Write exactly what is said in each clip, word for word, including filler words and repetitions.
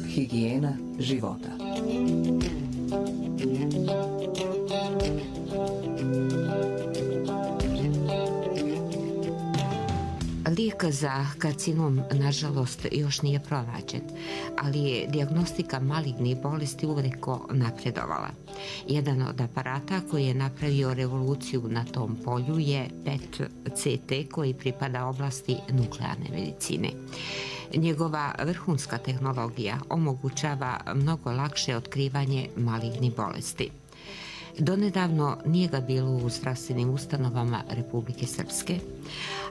Higijena života. Lijek za karcinom, nažalost, još nije pronađen, ali je dijagnostika malignih bolesti uveliko napredovala. Jedan od aparata koji je napravio revoluciju na tom polju je P E T C T koji pripada oblasti nuklearne medicine. Njegova vrhunska tehnologija omogućava mnogo lakše otkrivanje malignih bolesti. Donedavno nije ga bilo u zdravstvenim ustanovama Republike Srpske,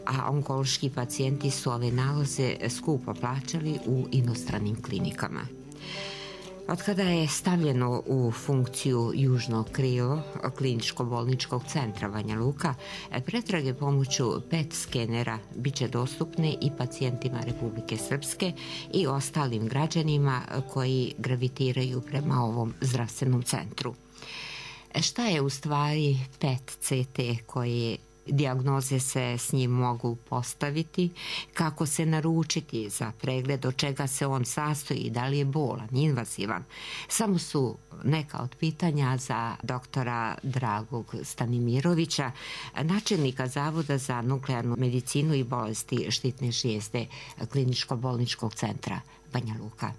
a onkološki pacijenti su ove nalaze skupo plaćali u inostranim klinikama. Od kada je stavljeno u funkciju južno krilo kliničko-bolničkog centra Banja Luka, pretrage pomoću P E T skenera bit će dostupne i pacijentima Republike Srpske i ostalim građanima koji gravitiraju prema ovom zdravstvenom centru. Šta je u stvari P E T C T, koje dijagnoze se s njim mogu postaviti, kako se naručiti za pregled, od čega se on sastoji, da li je bolan, invazivan? Samo su neka od pitanja za doktora Dragog Stanimirovića, načelnika Zavoda za nuklearnu medicinu i bolesti štitne žlijezde kliničko-bolničkog centra Banja Luka.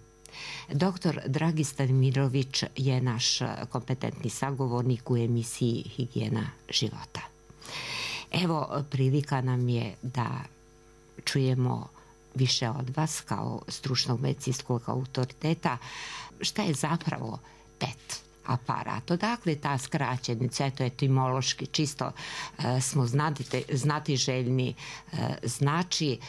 Doktor Dragi Stanimirović je naš kompetentni sagovornik u emisiji Higijena života. Evo, prilika nam je da čujemo više od vas kao stručnog medicinskog autoriteta šta je zapravo P E T aparat. Odakle ta skraćenica, eto etimološki, čisto e, smo znati, znati željni, e, znači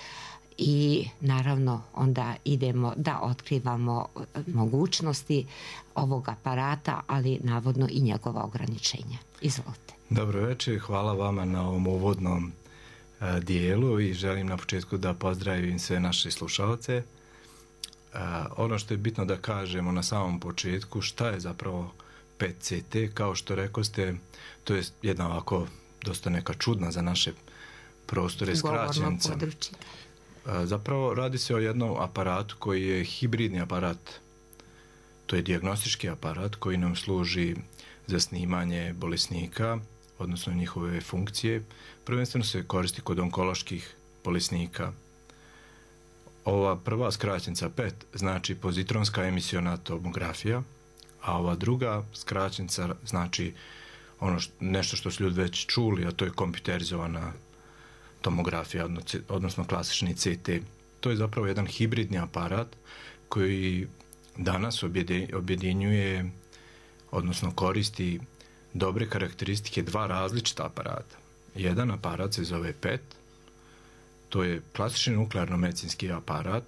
i naravno onda idemo da otkrivamo mogućnosti ovog aparata, ali navodno i njegova ograničenja. Izvolite. Dobro večer, hvala vama na ovom uvodnom a, dijelu i želim na početku da pozdravim sve naše slušalce. A, ono što je bitno da kažemo na samom početku, šta je zapravo P E T C T, kao što rekoste, to je jedna ovako dosta neka čudna za naše prostore skraćenica. Zapravo radi se o jednom aparatu koji je hibridni aparat. To je dijagnostički aparat koji nam služi za snimanje bolesnika, odnosno njihove funkcije. Prvenstveno se koristi kod onkoloških bolesnika. Ova prva skraćenica P E T znači pozitronska emisiona tomografija, a ova druga skraćenica znači ono što, nešto što su ljudi već čuli, a to je kompjuterizovana tomografija, odnosno klasični C T. To je zapravo jedan hibridni aparat koji danas objedinjuje, odnosno koristi dobre karakteristike dva različita aparata. Jedan aparat se zove P E T, to je klasični nuklearno-medicinski aparat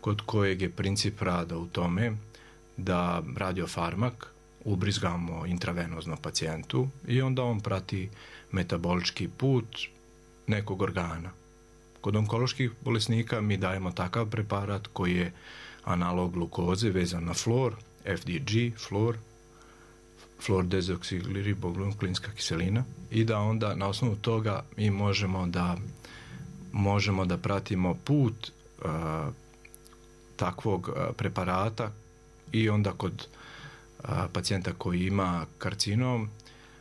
kod kojeg je princip rada u tome da radiofarmak ubrizgamo intravenozno pacijentu i onda on prati metabolički put nekog organa. Kod onkoloških bolesnika mi dajemo takav preparat koji je analog glukoze vezan na flor, F D G, flor, flor dezoksiribonuklinska kiselina, i da onda na osnovu toga mi možemo da možemo da pratimo put uh, takvog uh, preparata i onda kod uh, pacijenta koji ima karcinom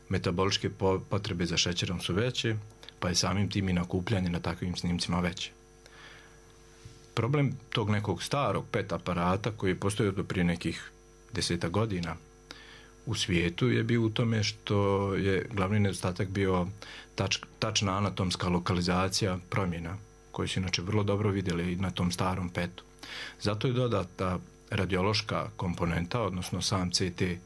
metaboličke potrebe za šećerom su veće, pa je samim tim i nakupljanje na takvim snimcima veće. Problem tog nekog starog P E T aparata koji je postojao do prije nekih deseta godina u svijetu je bio u tome što je glavni nedostatak bio tač, tačna anatomska lokalizacija promjena koje su inače vrlo dobro vidjeli na tom starom P E T-u. Zato je dodata radiološka komponenta, odnosno sam C T, e,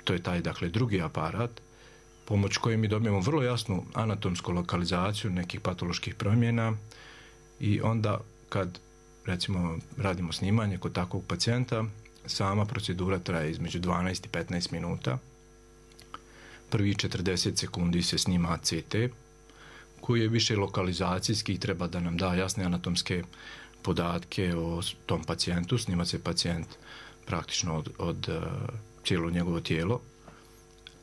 to je taj dakle drugi aparat, pomoć koje mi dobijemo vrlo jasnu anatomsku lokalizaciju nekih patoloških promjena i onda kad recimo radimo snimanje kod takvog pacijenta, sama procedura traje između dvanaest i petnaest minuta. Prvi četrdeset sekundi se snima C T koji je više lokalizacijski i treba da nam da jasne anatomske podatke o tom pacijentu. Snima se pacijent praktično od, od uh, cijelo njegovo tijelo.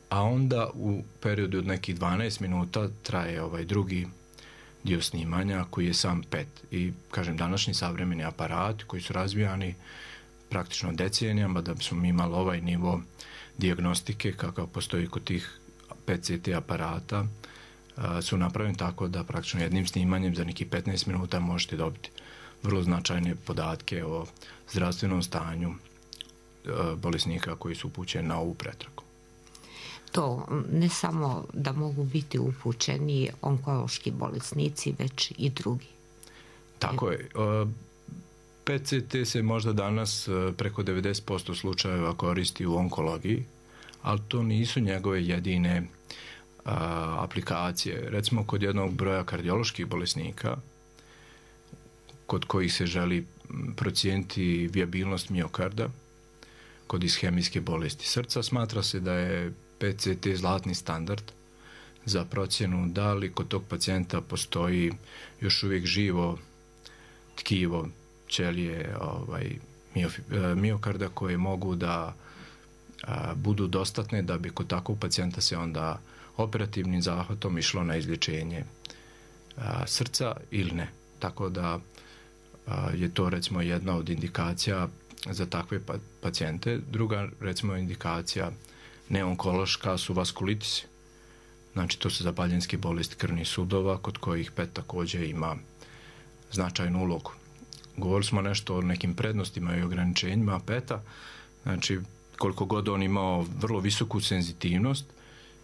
A onda u periodu od nekih dvanaest minuta traje ovaj drugi dio snimanja koji je sam P E T. I kažem, današnji savremeni aparati koji su razvijani praktično decenijama da bismo imali ovaj nivo dijagnostike kakav postoji kod tih P E T C T aparata su napravljeni tako da praktično jednim snimanjem za nekih petnaest minuta možete dobiti vrlo značajne podatke o zdravstvenom stanju bolesnika koji su upućeni na ovu pretragu. To ne samo da mogu biti upućeni onkološki bolesnici, već i drugi. Tako je. P E T C T se možda danas preko devedeset posto slučajeva koristi u onkologiji, ali to nisu njegove jedine a, aplikacije. Recimo kod jednog broja kardioloških bolesnika kod kojih se želi procijeniti vijabilnost miokarda kod ishemijske bolesti srca, smatra se da je P E T C T zlatni standard za procjenu da li kod tog pacijenta postoji još uvijek živo tkivo ćelije ovaj, miokarda koje mogu da a, budu dostatne da bi kod takvog pacijenta se onda operativnim zahvatom išlo na izlječenje a, srca ili ne. Tako da a, je to recimo jedna od indikacija za takve pa, pacijente. Druga recimo indikacija neonkološka su vaskulitisi. Znači to su zapaljenske bolesti krvnih sudova kod kojih P E T također ima značajnu ulogu. Govorili smo nešto o nekim prednostima i ograničenjima P E T-a. Znači koliko god on imao vrlo visoku senzitivnost,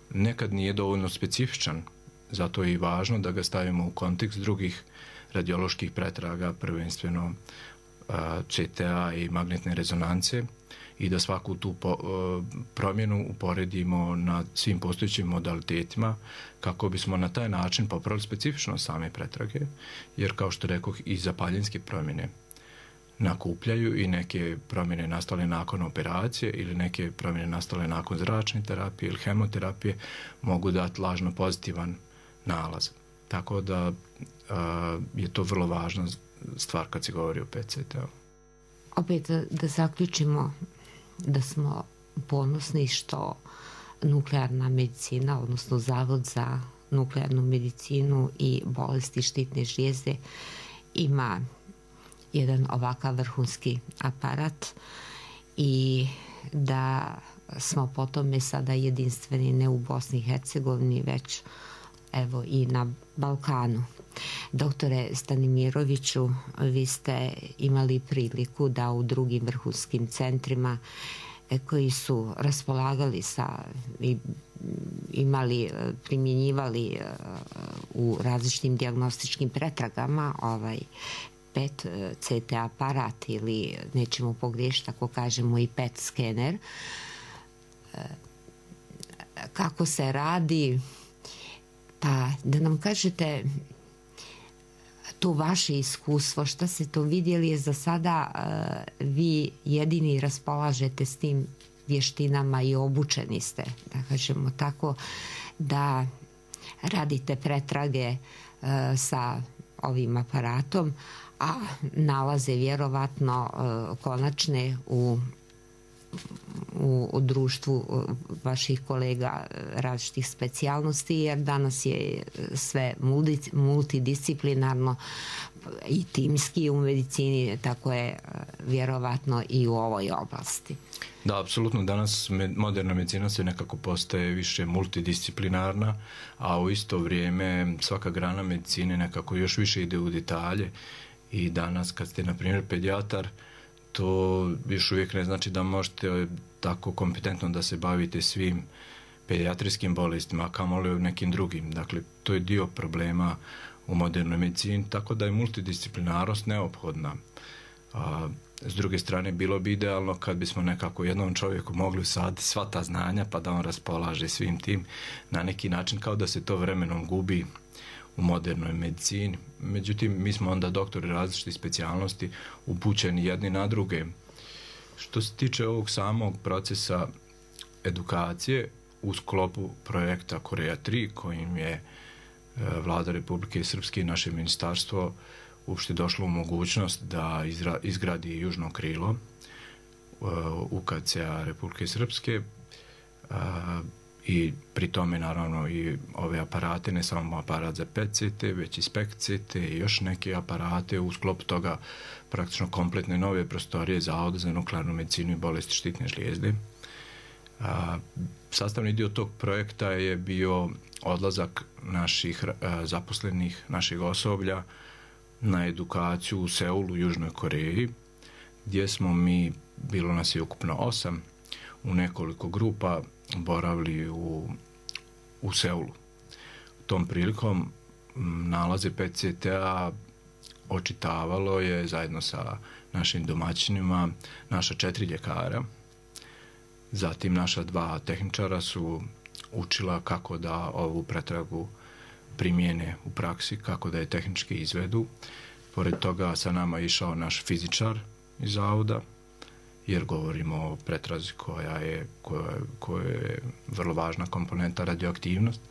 nekad nije dovoljno specifičan. Zato je i važno da ga stavimo u kontekst drugih radioloških pretraga, prvenstveno C T A i magnetne rezonance, i da svaku tu po, promjenu uporedimo na svim postojećim modalitetima kako bismo na taj način popravili specifičnost same pretrage, jer kao što rekoh i zapaljenske promjene nakupljaju i neke promjene nastale nakon operacije ili neke promjene nastale nakon zračne terapije ili hemoterapije mogu dati lažno pozitivan nalaz. Tako da a, je to vrlo važna stvar kad se govori o P E T C T-u. Opet da zaključimo da smo ponosni što nuklearna medicina, odnosno Zavod za nuklearnu medicinu i bolesti štitne žlijezde ima jedan ovakav vrhunski aparat i da smo po tome sada jedinstveni ne u Bosni i Hercegovini, već evo i na Balkanu. Doktore Stanimiroviću, vi ste imali priliku da u drugim vrhunskim centrima koji su raspolagali sa i imali, primjenjivali u različitim dijagnostičkim pretragama ovaj P E T C T aparat ili nećemo pogriješiti ako kažemo i P E T skener. Kako se radi? Pa da nam kažete to vaše iskustvo, šta ste to vidjeli, je za sada uh, vi jedini raspolažete s tim vještinama i obučeni ste, da kažemo tako, da radite pretrage uh, sa ovim aparatom, a nalaze vjerovatno uh, konačne u U, u društvu vaših kolega različitih specijalnosti, jer danas je sve multi, multidisciplinarno i timski u medicini, tako je vjerovatno i u ovoj oblasti. Da, apsolutno. Danas moderna medicina se nekako postaje više multidisciplinarna, a u isto vrijeme svaka grana medicine nekako još više ide u detalje i danas kad ste, na primjer, pedijatar, to još uvijek ne znači da možete tako kompetentno da se bavite svim pedijatrijskim bolestima, a kamoli nekim drugim. Dakle, to je dio problema u modernoj medicini, tako da je multidisciplinarnost neophodna. A, s druge strane, bilo bi idealno kad bismo nekako jednom čovjeku mogli usaditi sva ta znanja pa da on raspolaže svim tim na neki način, kao da se to vremenom gubi u modernoj medicini. Međutim, mi smo onda doktori različitih specijalnosti upućeni jedni na druge. Što se tiče ovog samog procesa edukacije u sklopu projekta Korea tri, kojim je Vlada Republike Srpske i naše ministarstvo uopšte došlo u mogućnost da izgradi južno krilo U K C-a Republike Srpske, i pri tome naravno i ove aparate, ne samo aparat za P E T C T, već i SPECT-C T i još neke aparate, u sklopu toga praktično kompletne nove prostorije Zavoda za nuklearnu medicinu i bolesti štitne žlijezde. A, sastavni dio tog projekta je bio odlazak naših a, zaposlenih, našeg osoblja na edukaciju u Seulu, u Južnoj Koreji, gdje smo mi, bilo nas je ukupno osam, u nekoliko grupa boravili u, u Seulu. Tom prilikom nalaze P E T C T-a očitavalo je zajedno sa našim domaćinima naša četiri ljekara. Zatim naša dva tehničara su učila kako da ovu pretragu primijene u praksi, kako da je tehnički izvedu. Pored toga sa nama je išao naš fizičar iz zavoda, jer govorimo o pretrazi koja je, koja, koja je vrlo važna komponenta, radioaktivnost.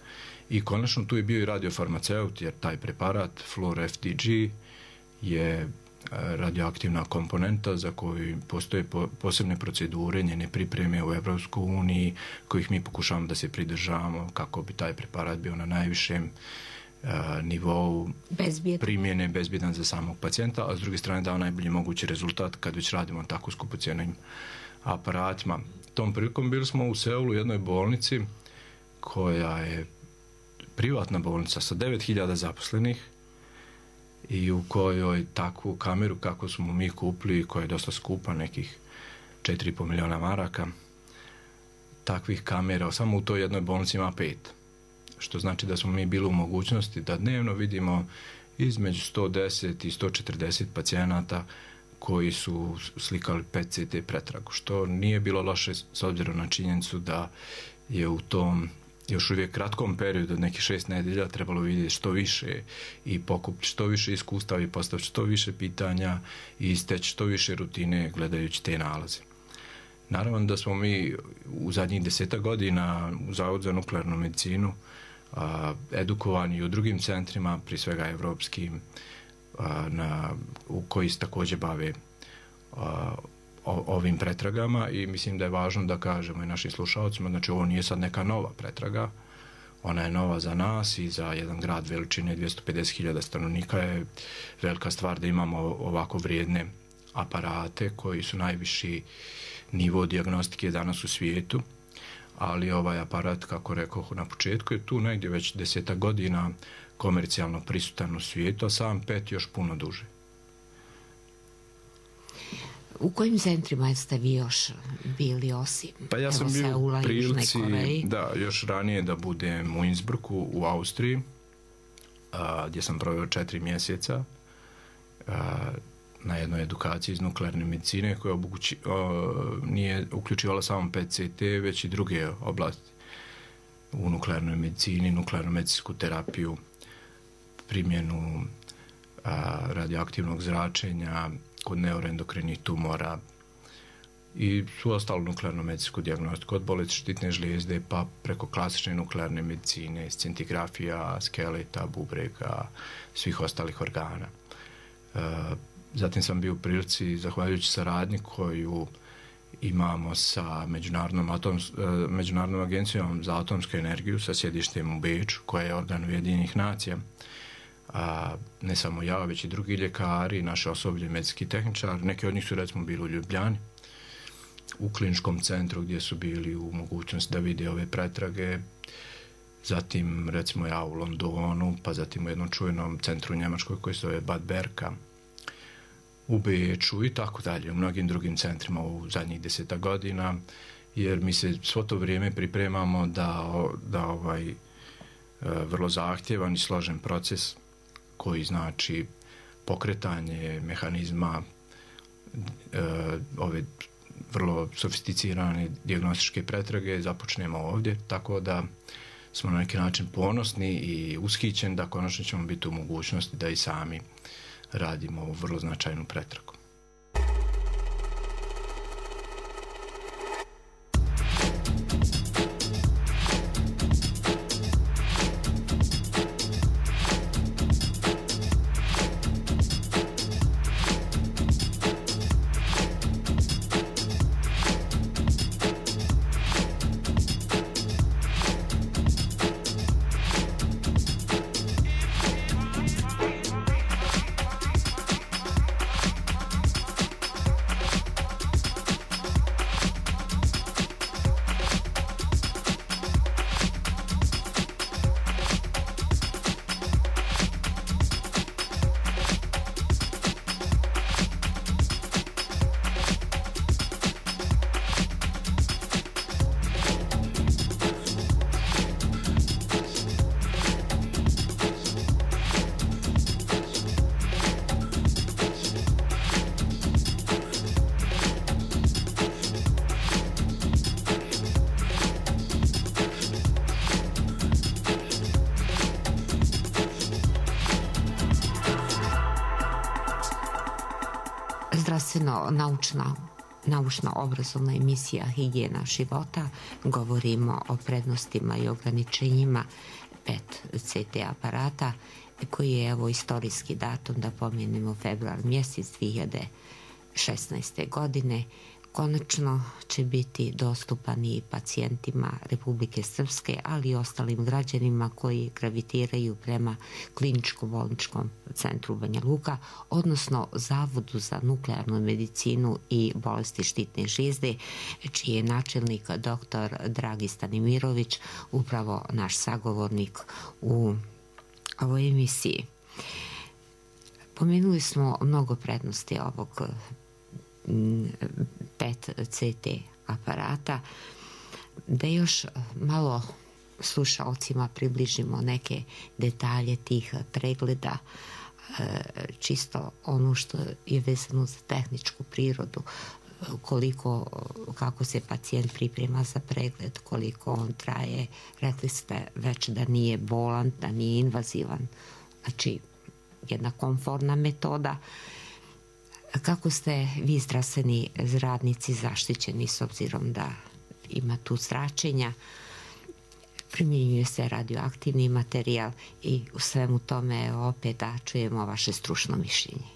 I konačno tu je bio i radiofarmaceut, jer taj preparat Fluor F D G je radioaktivna komponenta za koju postoje posebne procedure, njene pripreme u Evropskoj uniji, kojih mi pokušavamo da se pridržavamo kako bi taj preparat bio na najvišem uh, nivou Bezbjedan. primjene, bezbjedan za samog pacijenta, a s druge strane dao najbolji mogući rezultat kad već radimo tako skupocijenim aparatima. Tom prilikom bili smo u Seulu u jednoj bolnici koja je privatna bolnica sa devet hiljada zaposlenih i u kojoj takvu kameru kako smo mi kupili, koja je dosta skupa, nekih četiri i pol milijuna maraka, takvih kamera samo u toj jednoj bolnici ima pet. Što znači da smo mi bili u mogućnosti da dnevno vidimo između sto deset i sto četrdeset pacijenata koji su slikali P E T C T pretragu, što nije bilo loše s obzirom na činjenicu da je u tom još uvijek kratkom periodu od nekih šest nedelja trebalo vidjeti što više i pokupiti što više iskustava i postaviti što više pitanja i isteći što više rutine gledajući te nalaze. Naravno da smo mi u zadnjih deseta godina u Zavodu za nuklearnu medicinu a, edukovani i u drugim centrima, prije svega evropskim, a, na, u koji se također bave a, o, ovim pretragama i mislim da je važno da kažemo i našim slušalcima, znači ovo nije sad neka nova pretraga, ona je nova za nas i za jedan grad veličine dvjesto pedeset hiljada stanovnika je velika stvar da imamo ovako vrijedne aparate koji su najviši nivo dijagnostike danas u svijetu, ali ovaj aparat, kako rekao na početku, je tu negdje već deseta godina komercijalno prisutan u svijetu, a sam P E T još puno duže. U kojim centrima ste vi još bili osim? Pa ja sam bio u prilici, da, još ranije da budem u Innsbrucku u Austriji, a, gdje sam proveo četiri mjeseca a, na jednoj edukaciji iz nuklearne medicine koja obuči, a, nije uključivala samo P E T C T, već i druge oblasti u nuklearnoj medicini, nuklearnu medicinsku terapiju, primjenu a, radioaktivnog zračenja kod neuroendokrinih tumora i su ostalo nuklearnu medicinsku dijagnostiku od bolesti štitne žlijezde pa preko klasične nuklearne medicine, scintigrafija, skeleta, bubrega, svih ostalih organa. E, zatim sam bio u prilici, zahvaljujući saradnji koju imamo sa Međunarodnom, atoms, Međunarodnom agencijom za atomsku energiju sa sjedištem u Beču, koja je organ Ujedinjenih nacija, a ne samo ja, već i drugi ljekari, naše osoblje, medicinski tehničar, neki od njih su recimo bili u Ljubljani, u kliničkom centru gdje su bili u mogućnosti da vide ove pretrage, zatim recimo ja u Londonu, pa zatim u jednom čuvenom centru u Njemačkoj koji se zove Bad Berka, u Beču i tako dalje, u mnogim drugim centrima u zadnjih deseta godina, jer mi se svo to vrijeme pripremamo da, da ovaj vrlo zahtjevan i složen proces koji znači pokretanje mehanizma e, ove vrlo sofisticirane dijagnostičke pretrage započnemo ovdje, tako da smo na neki način ponosni i ushićeni da konačno ćemo biti u mogućnosti da i sami radimo ovu vrlo značajnu pretragu. zdravstveno naučna naučno-obrazovna emisija Higijena života. Govorimo o prednostima i ograničenjima P E T C T aparata, koji je evo istorijski datum, da pomenemo februar mjesec dvije hiljade šesnaeste. godine. Konačno će biti dostupan i pacijentima Republike Srpske, ali i ostalim građanima koji gravitiraju prema kliničko-bolničkom centru Banja Luka, odnosno Zavodu za nuklearnu medicinu i bolesti štitne žlijezde, čiji je načelnik doktor Dragi Stanimirović, upravo naš sagovornik u ovoj emisiji. Pomenuli smo mnogo prednosti ovog P E T C T aparata. Da još malo slušalcima približimo neke detalje tih pregleda, čisto ono što je vezano za tehničku prirodu, koliko, kako se pacijent priprema za pregled, koliko on traje. Rekli ste već da nije bolan, da nije invazivan, znači jedna komfortna metoda. Kako ste vi zdravstveni radnici zaštićeni s obzirom da ima tu zračenja, primjenjuje se radioaktivni materijal i u svemu tome opet da čujemo vaše stručno mišljenje?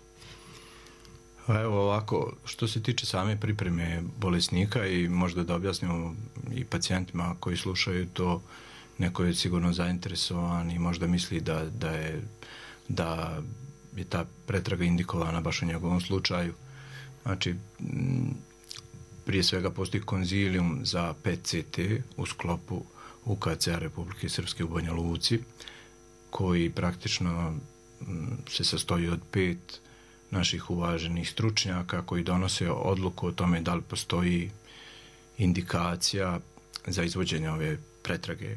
Evo ovako, što se tiče same pripreme bolesnika i možda da objasnimo i pacijentima koji slušaju to, neko je sigurno zainteresovan i možda misli da, da je da je ta pretraga indikovana baš u njegovom slučaju. Znači, prije svega postoji konzilijum za P E T C T u sklopu U K C-a Republike Srpske u Banja Luci, koji praktično se sastoji od pet naših uvaženih stručnjaka koji donose odluku o tome da li postoji indikacija za izvođenje ove pretrage.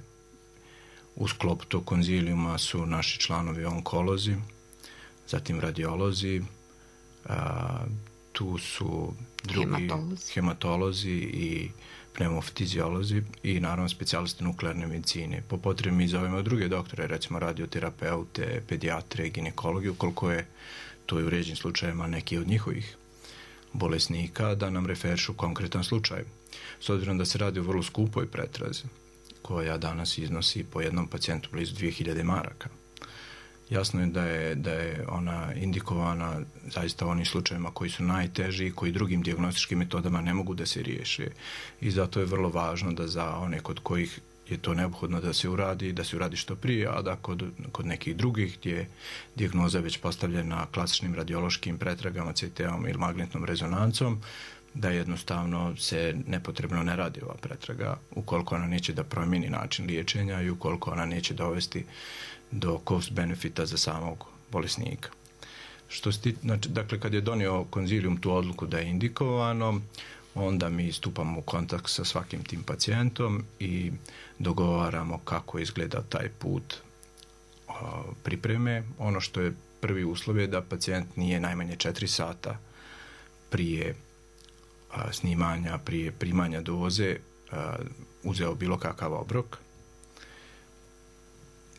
U sklopu tog konzilijuma su naši članovi onkolozi, zatim radiolozi, a, tu su drugi hematolozi, hematolozi i pneumofiziolozi i naravno specijalisti nuklearne medicine. Po potrebi mi zovemo druge doktore, recimo radioterapeute, pedijatre, ginekologi, ukoliko je to je u ređenim slučajima neki od njihovih bolesnika, da nam referišu konkretan slučaj. S obzirom da se radi o vrlo skupoj pretrazi, koja danas iznosi po jednom pacijentu blizu dvije hiljade maraka. Jasno je da je, da je ona indikovana zaista u onim slučajevima koji su najteži i koji drugim dijagnostičkim metodama ne mogu da se riješe. I zato je vrlo važno da za one kod kojih je to neophodno da se uradi, da se uradi što prije, a da kod, kod nekih drugih gdje je dijagnoza već postavljena klasičnim radiološkim pretragama, C T-om ili magnetnom rezonancom, da jednostavno se nepotrebno ne radi ova pretraga, ukoliko ona neće da promijeni način liječenja i ukoliko ona neće dovesti do cost benefita za samog bolesnika. Što sti, znači, dakle, kad je donio konzilijum tu odluku da je indikovano, onda mi stupamo u kontakt sa svakim tim pacijentom i dogovaramo kako izgleda taj put o, pripreme. Ono što je prvi uslov je da pacijent nije najmanje četiri sata prije a, snimanja, prije primanja doze a, uzeo bilo kakav obrok.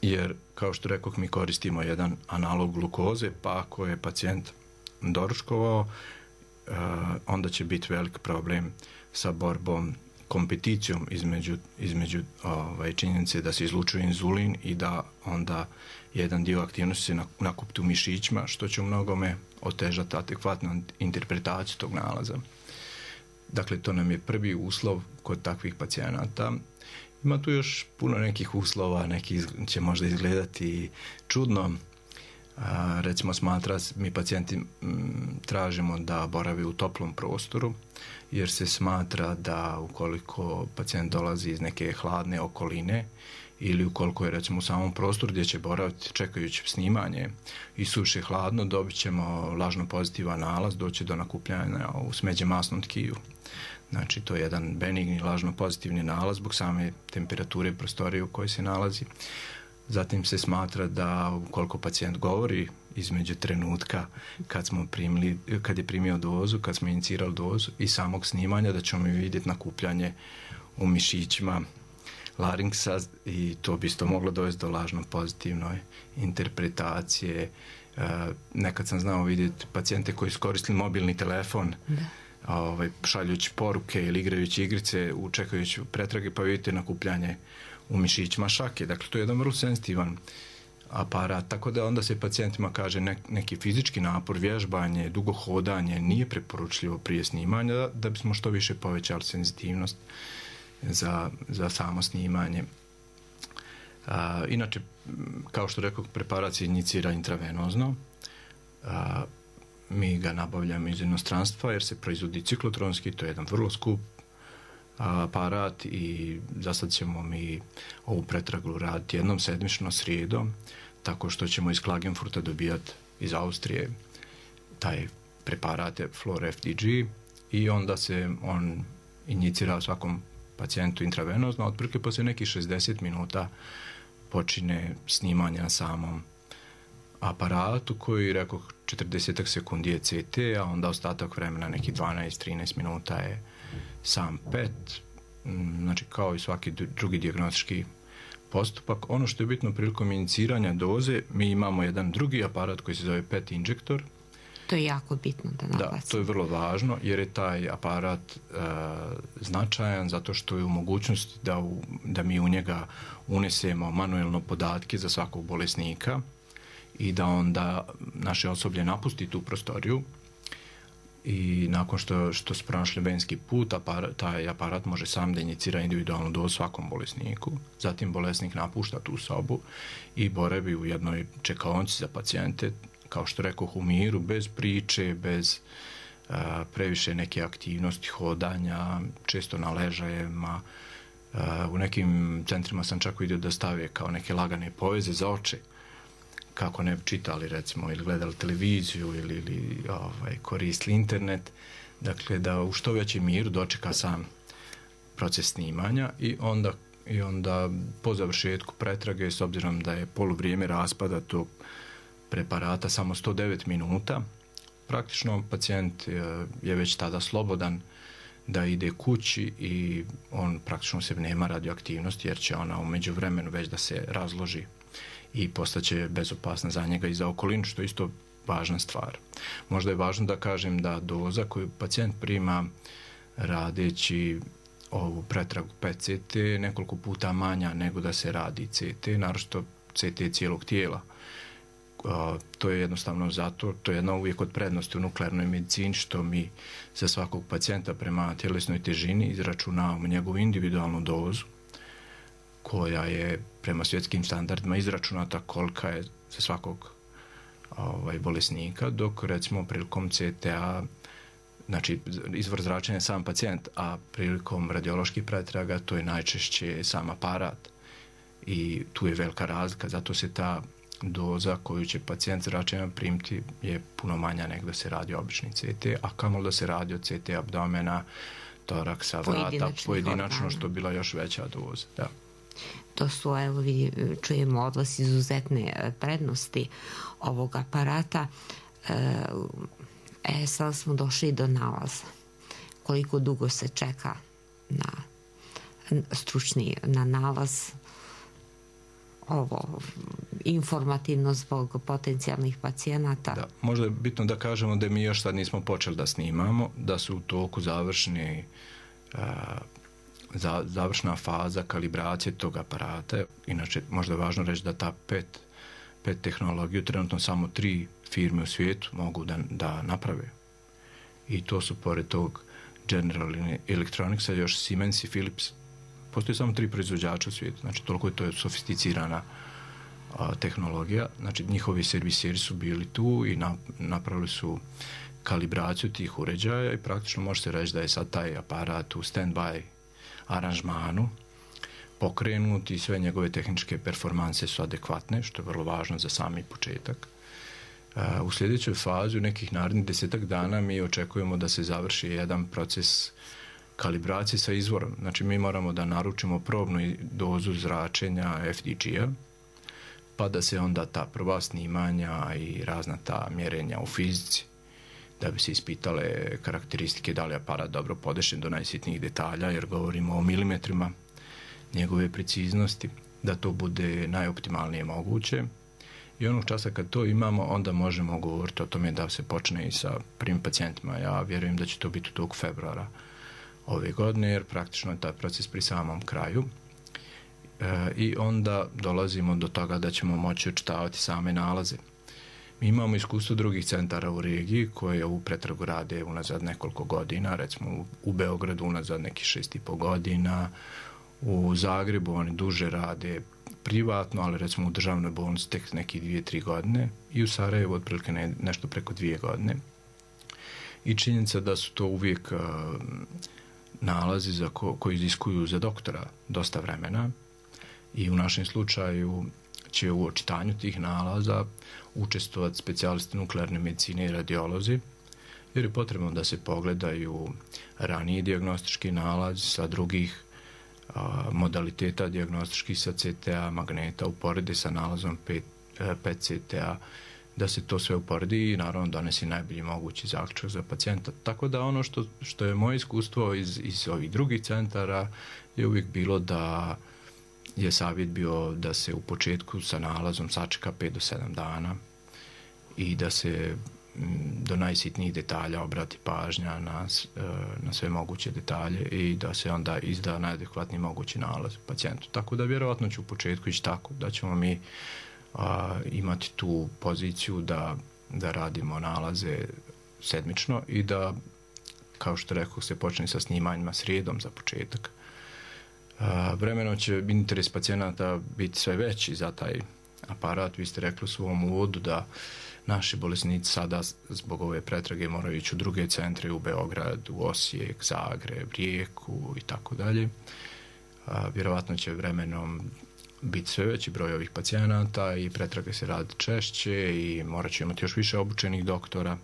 Jer, kao što rekoh, mi koristimo jedan analog glukoze, pa ako je pacijent doručkovao, onda će biti velik problem sa borbom, kompeticijom između, između ovaj, činjenice da se izlučuje inzulin i da onda jedan dio aktivnosti se nakupi u mišićima, što će u mnogome otežati adekvatnu interpretaciju tog nalaza. Dakle, to nam je prvi uslov kod takvih pacijenata. Ima tu još puno nekih uslova, neki će možda izgledati čudno. A, recimo smatra, mi pacijenti m, tražimo da boravi u toplom prostoru, jer se smatra da ukoliko pacijent dolazi iz neke hladne okoline ili ukoliko je recimo u samom prostoru gdje će boraviti čekajući snimanje i suše hladno, dobit ćemo lažno pozitivan nalaz, doći do nakupljanja u smeđe masnom tkiju. Znači, to je jedan benigni lažno pozitivni nalaz zbog same temperature prostorije u kojoj se nalazi. Zatim se smatra da ukoliko pacijent govori između trenutka kad smo primili, kad je primio dozu, kad smo inicirali dozu i samog snimanja, da ćemo vidjeti nakupljanje u mišićima laringsa i to bi isto moglo dovesti do lažno pozitivnoj interpretacije Nekad sam znao vidjeti pacijente koji su koristili mobilni telefon, da. Ovaj, šaljući poruke ili igrajući igrice, čekajući pretrage, pa vidite nakupljanje u mišićima šake. Dakle, to je jedan vrlo senzitivan aparat, tako da onda se pacijentima kaže ne, neki fizički napor, vježbanje, dugo hodanje nije preporučljivo prije snimanja, da, da bismo što više povećali senzitivnost za, za samo snimanje. A, inače, kao što rekao, preparat se injicira intravenozno. A, mi ga nabavljamo iz inostranstva jer se proizvodi ciklotronski, to je jedan vrlo skup aparat i za sad ćemo mi ovu pretragu raditi jednom sedmično srijedom, tako što ćemo iz Klagenfurta dobijati iz Austrije taj preparat Flora F D G i onda se on injicira svakom pacijentu intravenozno, otprilike poslije nekih šezdeset minuta počine snimanje na samom aparatu koji, rekao, četrdeset sekundi je C T, a onda ostatak vremena, neki dvanaest do trinaest minuta je sam P E T, znači kao i svaki drugi dijagnostički postupak. Ono što je bitno prilikom iniciranja doze, mi imamo jedan drugi aparat koji se zove P E T injektor. To je jako bitno da naglasim. Da, to je vrlo važno jer je taj aparat e, značajan zato što je u mogućnosti da, u, da mi u njega unesemo manuelno podatke za svakog bolesnika i da onda naše osoblje napusti tu prostoriju i nakon što, što su pronašli venski put, aparat, taj aparat može sam da inicira individualnu dozu svakom bolesniku. Zatim bolesnik napušta tu sobu i boravi u jednoj čekaonici za pacijente, kao što rekoh, u miru, bez priče, bez a, previše neke aktivnosti, hodanja, često na ležajima. A, u nekim centrima sam čak vidio da stave kao neke lagane poveze za oči, kako ne bi čitali, recimo, ili gledali televiziju ili, ili ovaj, koristili internet. Dakle, da u što većem miru dočeka sam proces snimanja i onda, i onda po završetku pretrage, s obzirom da je poluvrijeme raspada tog preparata samo sto devet minuta, praktično pacijent je već tada slobodan da ide kući i on praktično se nema radioaktivnosti jer će ona u međuvremenu već da se razloži i postaće bezopasna za njega i za okolinu, što je isto važna stvar. Možda je važno da kažem da doza koju pacijent prima radeći ovu pretragu P E T C T je nekoliko puta manja nego da se radi C T, naročito C T cijelog tijela. Uh, to je jednostavno zato, to je jedna uvijek od prednosti u nuklearnoj medicini, što mi za svakog pacijenta prema tjelesnoj težini izračunavamo njegovu individualnu dozu, koja je prema svjetskim standardima izračunata kolika je za svakog ovaj, bolesnika, dok recimo prilikom C T A, znači izvor zračenja je sam pacijent, a prilikom radioloških pretraga to je najčešće sam aparat i tu je velika razlika, zato se ta doza koju će pacijent zračenja primiti je puno manja nego da se radi obični C T, a kamoli da se radi od C T abdomena, toraksa, vrata, pojedinačno, što bila još veća doza. Da. To su, evo vidi, čujemo odlas izuzetne prednosti ovog aparata. E, sad smo došli do nalaza. Koliko dugo se čeka na stručni, na nalaz, ovo informativno zbog potencijalnih pacijenata. Da, možda je bitno da kažemo da mi još sad nismo počeli da snimamo, da su u toku završni a, za, završna faza kalibracije tog aparata. Inače, možda je važno reći da ta P E T, P E T tehnologiju trenutno samo tri firme u svijetu mogu da, da naprave. I to su pored tog General Electronicsa još Siemens i Philips. Postoji samo tri proizvođača u svijetu, znači toliko je to sofisticirana a, tehnologija. Znači njihovi serviseri su bili tu i na, napravili su kalibraciju tih uređaja i praktično može se reći da je sad taj aparat u stand-by aranžmanu pokrenut i sve njegove tehničke performanse su adekvatne, što je vrlo važno za sami početak. A, u sljedećoj fazi, u nekih narednih desetak dana, mi očekujemo da se završi jedan proces kalibracije sa izvorom. Znači mi moramo da naručimo probnu dozu zračenja F D G-a, pa da se onda ta prva snimanja i razna ta mjerenja u fizici, da bi se ispitale karakteristike da li je aparat dobro podešen do najsitnijih detalja, jer govorimo o milimetrima njegove preciznosti, da to bude najoptimalnije moguće. I onog časa kad to imamo, onda možemo govoriti o tome da se počne i sa prvim pacijentima. Ja vjerujem da će to biti u toku februara ove godine, jer praktično je taj proces pri samom kraju. E, I onda dolazimo do toga da ćemo moći očitavati same nalaze. Mi imamo iskustvo drugih centara u regiji koje ovu pretragu rade unazad nekoliko godina, recimo u, u Beogradu unazad nekih šest i po godina, u Zagrebu oni duže rade privatno, ali recimo u državnoj bolnici tek neki dvije, tri godine i u Sarajevu otprilike ne, nešto preko dvije godine. I činjenica da su to uvijek uh, nalazi za ko, koji iziskuju za doktora dosta vremena i u našem slučaju će u očitanju tih nalaza učestvovati specijalisti nuklearne medicine i radiolozi, jer je potrebno da se pogledaju raniji dijagnostički nalaz sa drugih a, modaliteta dijagnostičkih sa C T A, magneta, uporedi sa nalazom P E C T A, da se to sve uporedi i naravno donesi najbolji mogući zaključak za pacijenta. Tako da ono što, što je moje iskustvo iz, iz ovih drugih centara je uvijek bilo da je savjet bio da se u početku sa nalazom sačeka pet do sedam dana i da se do najsitnijih detalja obrati pažnja na, na sve moguće detalje i da se onda izda najadekvatniji mogući nalaz pacijentu. Tako da vjerovatno će u početku ići tako da ćemo mi a, imati tu poziciju da, da radimo nalaze sedmično i da, kao što rekao, se počne sa snimanjima srijedom za početak. A, vremenom će interes pacijenata biti sve veći za taj aparat. Vi ste rekli u svom uvodu da naši bolesnici sada zbog ove pretrage moraju ići u druge centre, u Beograd, u Osijek, Zagreb, Rijeku i tako dalje. Vjerovatno će vremenom biti sve veći broj ovih pacijenata i pretrage se radi češće i morat će imati još više obučenih doktora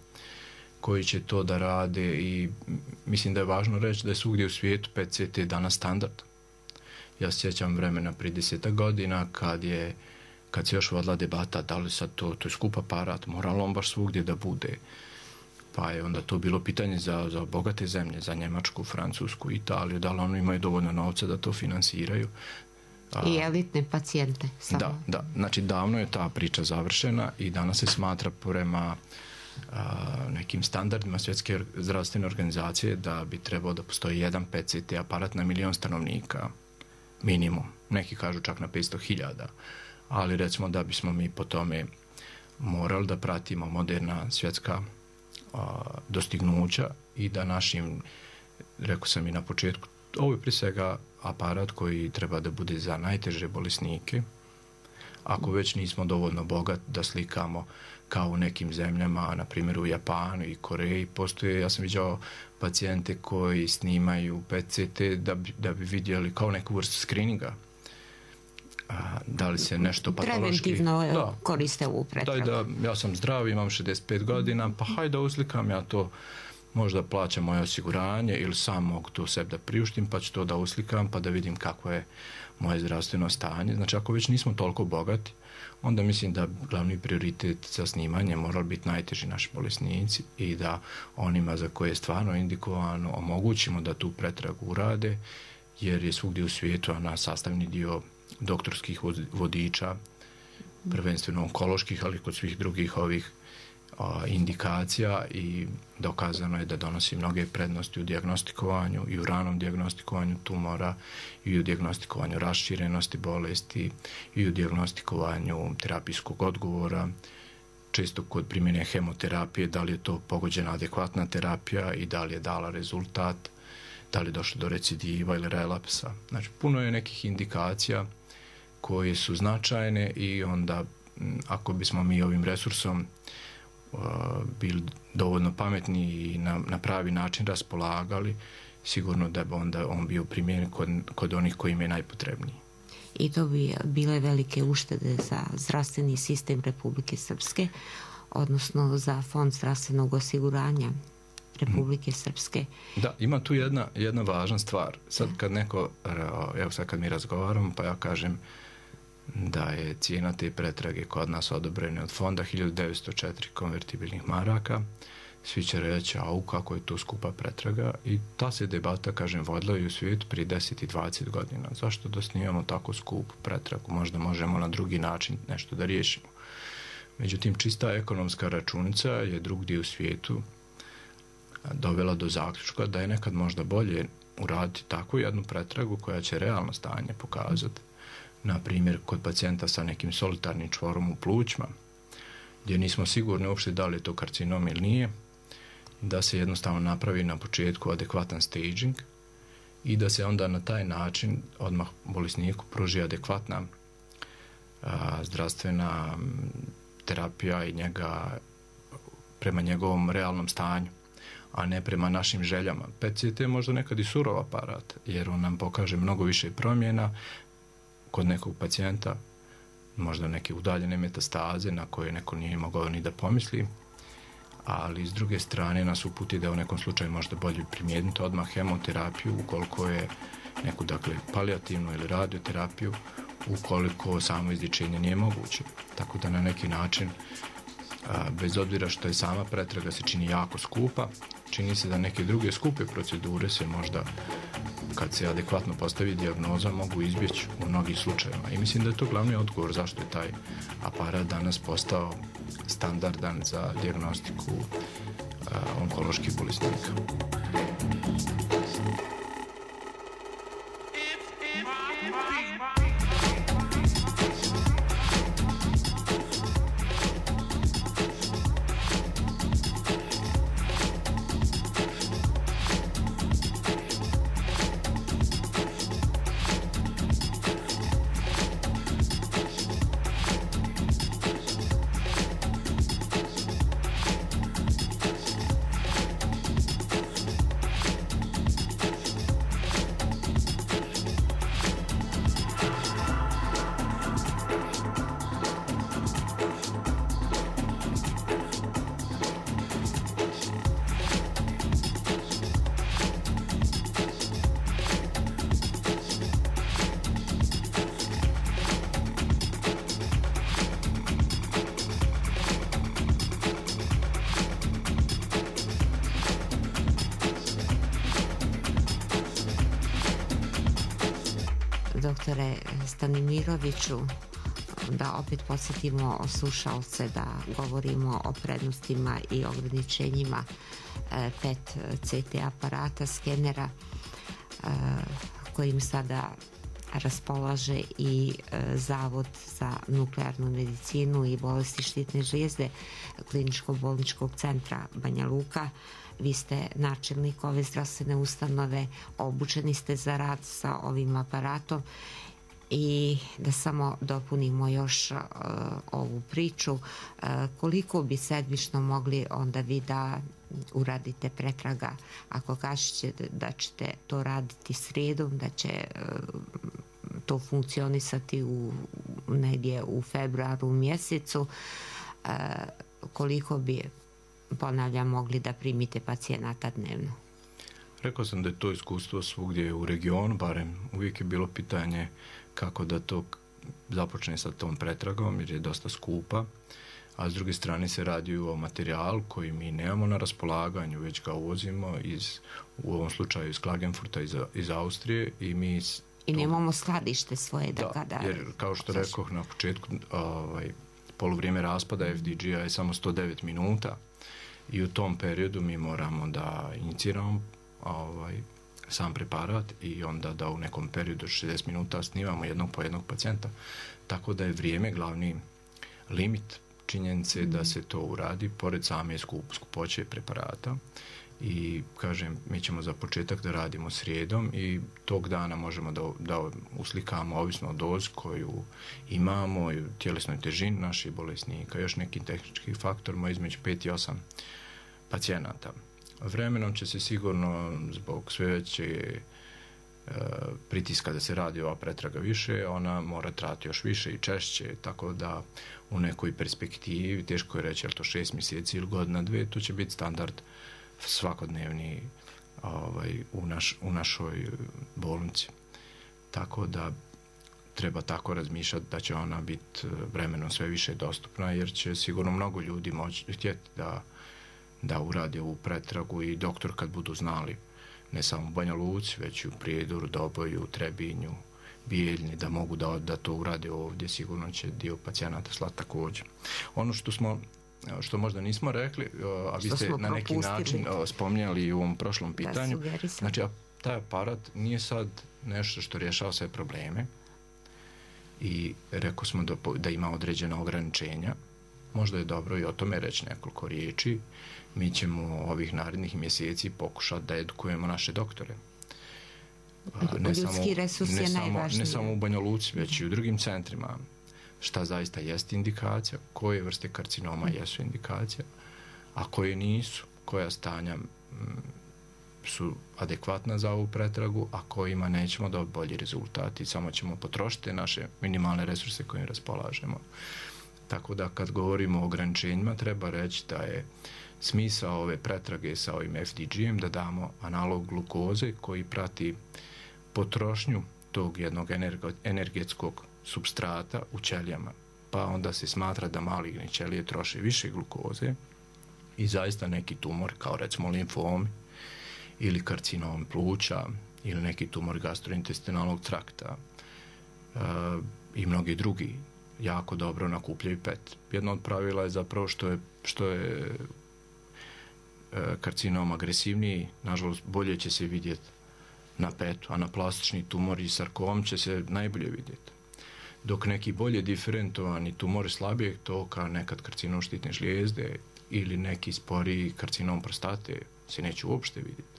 koji će to da rade i mislim da je važno reći da je svugdje u svijetu P E C T danas standard. Ja se sjećam vremena prije desetak godina kad je kad se još vodila debata da li sad to, to je skup aparat, mora li on baš svugdje da bude. Pa je onda to bilo pitanje za, za bogate zemlje, za Njemačku, Francusku, Italiju, da li oni imaju dovoljno novca da to finansiraju. I elitne pacijente. Samo. Da, da. Znači davno je ta priča završena i danas se smatra prema a, nekim standardima Svjetske zdravstvene organizacije da bi trebao da postoji jedan P E C T aparat na milion stanovnika. Minimum. Neki kažu čak na petsto hiljada. Ali recimo da bismo mi po tome morali da pratimo moderna svjetska a, dostignuća i da našim, rekao sam i na početku, ovo je prije svega aparat koji treba da bude za najteže bolesnike. Ako već nismo dovoljno bogat da slikamo kao u nekim zemljama, na primjer u Japanu i Koreji, postoje, ja sam viđao pacijente koji snimaju P E C T da bi, da bi vidjeli kao neku vrstu screeninga. A, da li se nešto patološki... Preventivno da, koriste ovu pretragu. Daj da, ja sam zdrav, imam šezdeset pet godina, pa hajde da uslikam ja to, možda plaćam moje osiguranje ili sam mogu to sebi da priuštim, pa ću to da uslikam, pa da vidim kako je moje zdravstveno stanje. Znači, ako već nismo toliko bogati, onda mislim da glavni prioritet za snimanje morali biti najteži naši bolesnici i da onima za koje je stvarno indikovano omogućimo da tu pretragu urade, jer je svugdje u svijetu ona sastavni dio doktorskih vodiča, prvenstveno onkoloških, ali kod svih drugih ovih a, indikacija i dokazano je da donosi mnoge prednosti u dijagnostikovanju i u ranom dijagnostikovanju tumora i u dijagnostikovanju raširenosti bolesti i u dijagnostikovanju terapijskog odgovora. Često kod primjene hemoterapije, da li je to pogođena adekvatna terapija i da li je dala rezultat, da li je došlo do recidiva ili relapsa. Znači, puno je nekih indikacija koje su značajne i onda ako bismo mi ovim resursom uh, bili dovoljno pametni i na, na pravi način raspolagali, sigurno da bi onda on bio primjeren kod, kod onih koji im je najpotrebniji. I to bi bile velike uštede za zdravstveni sistem Republike Srpske, odnosno za Fond zdravstvenog osiguranja Republike Srpske. Da, ima tu jedna, jedna važna stvar. Sad kad neko, evo sad kad mi razgovaram, pa ja kažem da je cijena te pretrage kod nas odobrena od fonda hiljadu devetsto četiri konvertibilnih maraka, svi će reći, au, kako je to skupa pretraga, i ta se debata, kažem, vodila i u svijetu prije deset i dvadeset godina. Zašto da snimamo tako skupu pretragu? Možda možemo na drugi način nešto da riješimo. Međutim, čista ekonomska računica je drugdje u svijetu dovela do zaključka da je nekad možda bolje uraditi takvu jednu pretragu koja će realno stanje pokazati. Na primjer, kod pacijenta sa nekim solitarnim čvorom u plućima, gdje nismo sigurni uopšte da li je to karcinom ili nije, da se jednostavno napravi na početku adekvatan staging i da se onda na taj način odmah bolesniku pruži adekvatna a, zdravstvena terapija i njega prema njegovom realnom stanju, a ne prema našim željama. P E T C T je možda nekad i surov aparat, jer on nam pokaže mnogo više promjena kod nekog pacijenta, možda neke udaljene metastaze na koje neko nije mogao ni da pomisli, ali s druge strane nas uputi da u nekom slučaju možda bolje primijeniti odmah hemoterapiju ukoliko je neku, dakle, palijativnu ili radioterapiju ukoliko samo izlječenje nije moguće. Tako da na neki način, bez obzira što je sama pretraga se čini jako skupa, čini se da neke druge skupe procedure se možda, kad se adekvatno postavi dijagnoza, mogu izbjeći u mnogim slučajevima. I mislim da je to glavni odgovor zašto je taj aparat danas postao standardan za dijagnostiku uh, onkoloških bolesnika. Doktore Stanimiroviću, da opet podsjetimo slušalce da govorimo o prednostima i ograničenjima P E T C T aparata, skenera, kojim sada raspolaže i Zavod za nuklearnu medicinu i bolesti štitne žlijezde Kliničko-bolničkog centra Banja Luka. Vi ste načelnik ove zdravstvene ustanove, obučeni ste za rad sa ovim aparatom i da samo dopunimo još uh, ovu priču, uh, koliko bi sedmično mogli onda vi da uradite pretraga, ako kažete da ćete to raditi srijedom, da će uh, to funkcionisati u, negdje u februaru mjesecu, uh, koliko bi, ponavljam, mogli da primite pacijenata dnevno? Rekao sam da je to iskustvo svugdje u regionu, barem uvijek je bilo pitanje kako da to započne sa tom pretragom, jer je dosta skupa, a s druge strane se radi o materijalu koji mi nemamo na raspolaganju, već ga uvozimo iz, u ovom slučaju iz Klagenfurta, iz, iz Austrije, i mi... I nemamo skladište svoje da, da kada... Jer, kao što rekoh na početku, ovaj, poluvrijeme raspada F D G-a je samo sto devet minuta i u tom periodu mi moramo da iniciramo ovaj, sam preparat i onda da u nekom periodu šezdeset minuta snimamo jednog po jednog pacijenta. Tako da je vrijeme glavni limit činjenice da se to uradi pored same skup, skupoće preparata. I kažem, mi ćemo za početak da radimo srijedom i tog dana možemo da, da uslikamo ovisno o dozi koju imamo i tjelesnoj težini naših bolesnika, još nekim tehničkim faktorima između pet i osam pacijenata. Vremenom će se sigurno zbog sve veće e, pritiska da se radi ova pretraga više, ona mora trajati još više i češće, tako da u nekoj perspektivi, teško je reći, je li to šest mjeseci ili godina dve, to će biti standard svakodnevni ovaj, u, naš, u našoj bolnici. Tako da treba tako razmišljati da će ona biti vremenom sve više dostupna, jer će sigurno mnogo ljudi moći htjeti da, da urade ovu pretragu i doktor kad budu znali, ne samo u Banja Luci, već i u Prijedoru, Doboju, Trebinju, bijeljni da mogu da, da to urade ovdje, sigurno će dio pacijenata slati također. Ono što smo što možda nismo rekli, a vi ste na neki način spominjali u ovom prošlom pitanju, znači taj aparat nije sad nešto što rješava sve probleme i rekao smo da, da ima određena ograničenja. Možda je dobro i o tome reći nekoliko riječi. Mi ćemo ovih narednih mjeseci pokušati da edukujemo naše doktore. Ne Ljudski samo, resurs ne je samo, najvažniji. ne samo u Banja Luci, već i u drugim centrima. Šta zaista jest indikacija, koje vrste karcinoma jesu indikacija, a koje nisu, koja stanja m, su adekvatna za ovu pretragu, a kojima nećemo dobiti bolji rezultati, samo ćemo potrošiti naše minimalne resurse kojim raspolažemo. Tako da kad govorimo o ograničenjima, treba reći da je smisao ove pretrage sa ovim F D G-em da damo analog glukoze koji prati potrošnju tog jednog energetskog supstrata u ćelijama. Pa onda se smatra da maligne ćelije troše više glukoze i zaista neki tumor, kao recimo limfomi ili karcinom pluća ili neki tumor gastrointestinalnog trakta e, i mnogi drugi jako dobro nakupljaju P E T. Jedno od pravila je zapravo što je, što je e, karcinom agresivniji, nažalost bolje će se vidjeti na P E T-u, a na plastični tumor i sarkom će se najbolje vidjeti. Dok neki bolje diferentovani tumori slabijeg toka, nekad karcinom štitne žlijezde ili neki sporiji karcinom prostate se neće uopšte vidjeti.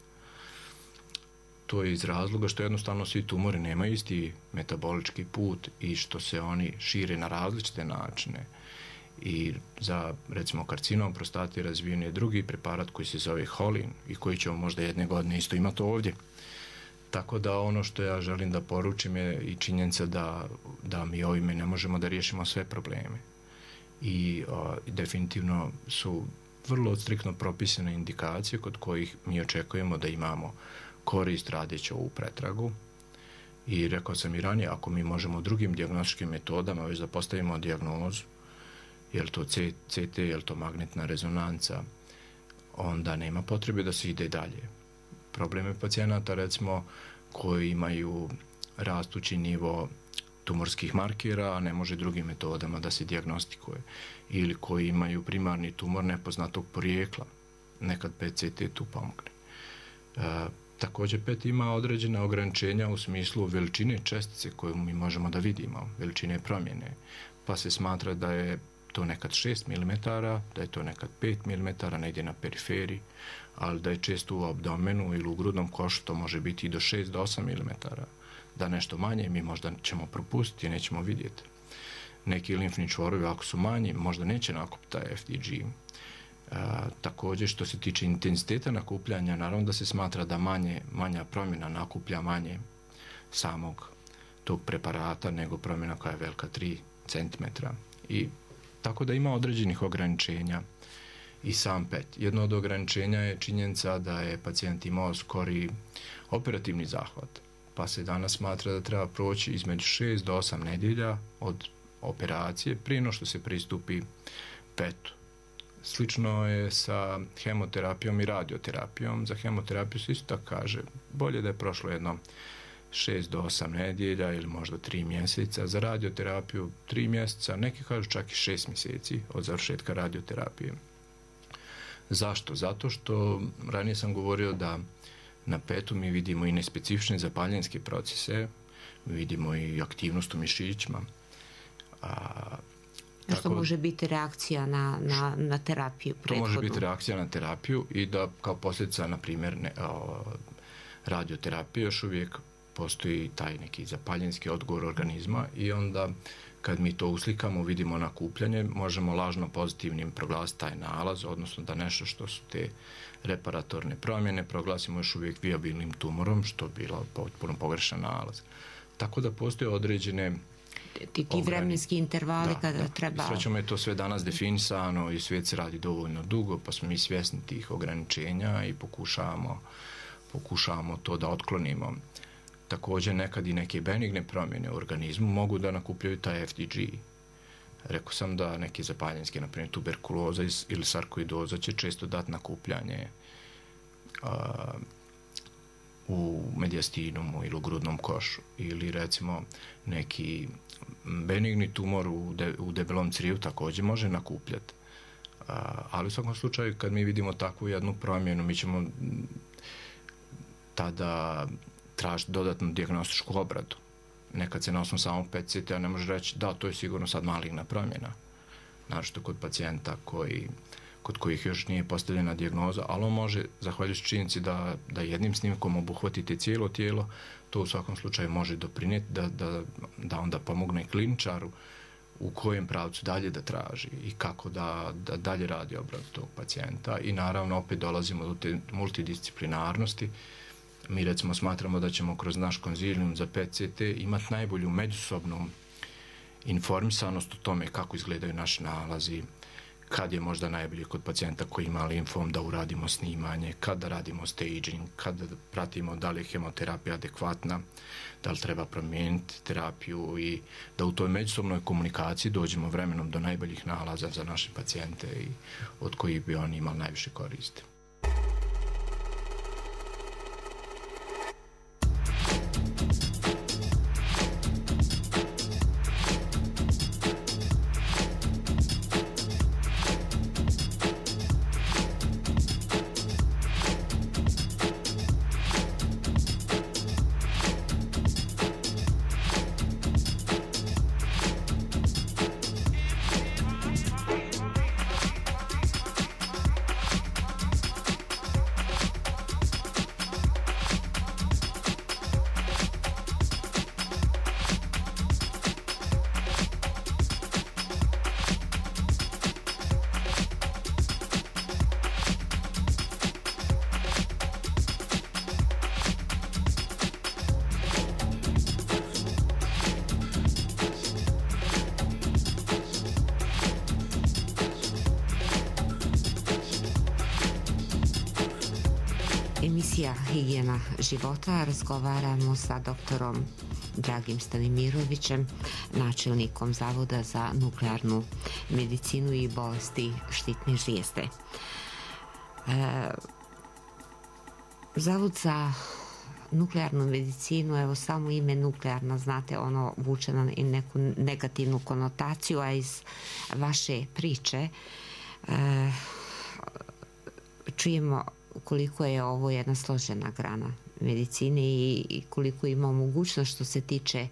To je iz razloga što jednostavno svi tumori nemaju isti metabolički put i što se oni šire na različite načine. I za, recimo, karcinom prostate razvijen je drugi preparat koji se zove Holin i koji ćemo možda jedne godine isto imati ovdje. Tako da ono što ja želim da poručim je i činjenica da, da mi ovime ne možemo da riješimo sve probleme. I a, definitivno su vrlo striktno propisane indikacije kod kojih mi očekujemo da imamo korist radeći ovu pretragu. I rekao sam i ranije, ako mi možemo drugim dijagnostičkim metodama već da postavimo dijagnozu, je li to C T, je li to magnetna rezonanca, onda nema potrebe da se ide dalje. Probleme pacijenata, recimo, koji imaju rastući nivo tumorskih markera, a ne može drugim metodama da se dijagnostikuje, ili koji imaju primarni tumor nepoznatog porijekla, nekad P C T tu pomogne. E, također P E T ima određena ograničenja u smislu veličine čestice koju mi možemo da vidimo, veličine promjene, pa se smatra da je to nekad šest milimetara, da je to nekad pet milimetara negdje na periferiji, ali da je često u abdomenu ili u grudnom košu to može biti i do šest do osam milimetara. Da nešto manje mi možda ćemo propustiti i nećemo vidjeti. Neki limfni čvorovi ako su manji možda neće nakupiti taj F D G. E, također što se tiče intenziteta nakupljanja, naravno da se smatra da manje, manja promjena nakuplja manje samog tog preparata nego promjena koja je velika tri centimetra. I tako da ima određenih ograničenja i sam P E T. Jedno od ograničenja je činjenica da je pacijent imao skori operativni zahvat, pa se danas smatra da treba proći između šest do osam nedjelja od operacije prije no što se pristupi P E T-u. Slično je sa hemoterapijom i radioterapijom. Za hemoterapiju se isto tako kaže bolje da je prošlo jedno šest do osam nedjelja ili možda tri mjeseca. Za radioterapiju tri mjeseca, neki kažu čak i šest mjeseci od završetka radioterapije. Zašto? Zato što ranije sam govorio da na P E T-u mi vidimo i nespecifične zapaljenske procese, mi vidimo i aktivnost u mišićima. A, što tako, može biti reakcija na, na, na terapiju prethodnu. To može biti reakcija na terapiju i da kao posljedica, na primjer, ne, o, radioterapije još uvijek postoji taj neki zapaljenski odgovor organizma i onda kad mi to uslikamo, vidimo nakupljanje, možemo lažno pozitivnim proglasiti taj nalaz, odnosno da nešto što su te reparatorne promjene proglasimo još uvijek viabilnim tumorom, što je bilo potpuno pogrešan nalaz. Tako da postoje određene ti, ti vremenski intervali da, kada da. treba... Srećom je to sve danas definisano i svijet se radi dovoljno dugo, pa smo mi svjesni tih ograničenja i pokušavamo, pokušavamo to da otklonimo. Također nekad i neke benigne promjene u organizmu mogu da nakupljaju taj F D G. Rekao sam da neke zapaljenske, na primjer tuberkuloza ili sarkoidoza će često dati nakupljanje a, u mediastinumu ili u grudnom košu, ili recimo neki benigni tumor u, de, u debelom crijevu također može nakupljati. Ali u svakom slučaju kad mi vidimo takvu jednu promjenu, mi ćemo tada tražiti dodatnu dijagnostičku obradu. Nekad se na osnovu samog P E T C T-a ne može reći da, to je sigurno sad maligna promjena. Naročito kod pacijenta koji, kod kojih još nije postavljena dijagnoza, ali on može, zahvaljujući činjenici da, da jednim snimkom obuhvatite cijelo tijelo, to u svakom slučaju može doprinijeti da, da, da onda pomogne kliničaru u kojem pravcu dalje da traži i kako da, da dalje radi obradu tog pacijenta. I naravno opet dolazimo do te multidisciplinarnosti. Mi recimo smatramo da ćemo kroz naš konzilijum za P E T C T imati najbolju međusobnu informisanost o tome kako izgledaju naši nalazi, kad je možda najbolje kod pacijenta koji ima limfom da uradimo snimanje, kad da radimo staging, kad da pratimo da li je hemoterapija adekvatna, da li treba promijeniti terapiju i da u toj međusobnoj komunikaciji dođemo vremenom do najboljih nalaza za naše pacijente i od kojih bi oni imali najviše koristi. Emisija Higijena života, razgovaramo sa doktorom Dragim Stanimirovićem, načelnikom Zavoda za nuklearnu medicinu i bolesti štitne žlijezde. E, Zavod za nuklearnu medicinu, evo samo ime nuklearna, znate, ono vuče na neku negativnu konotaciju, a iz vaše priče e, čujemo koliko je ovo jedna složena grana medicine i, i koliko ima mogućnost što se tiče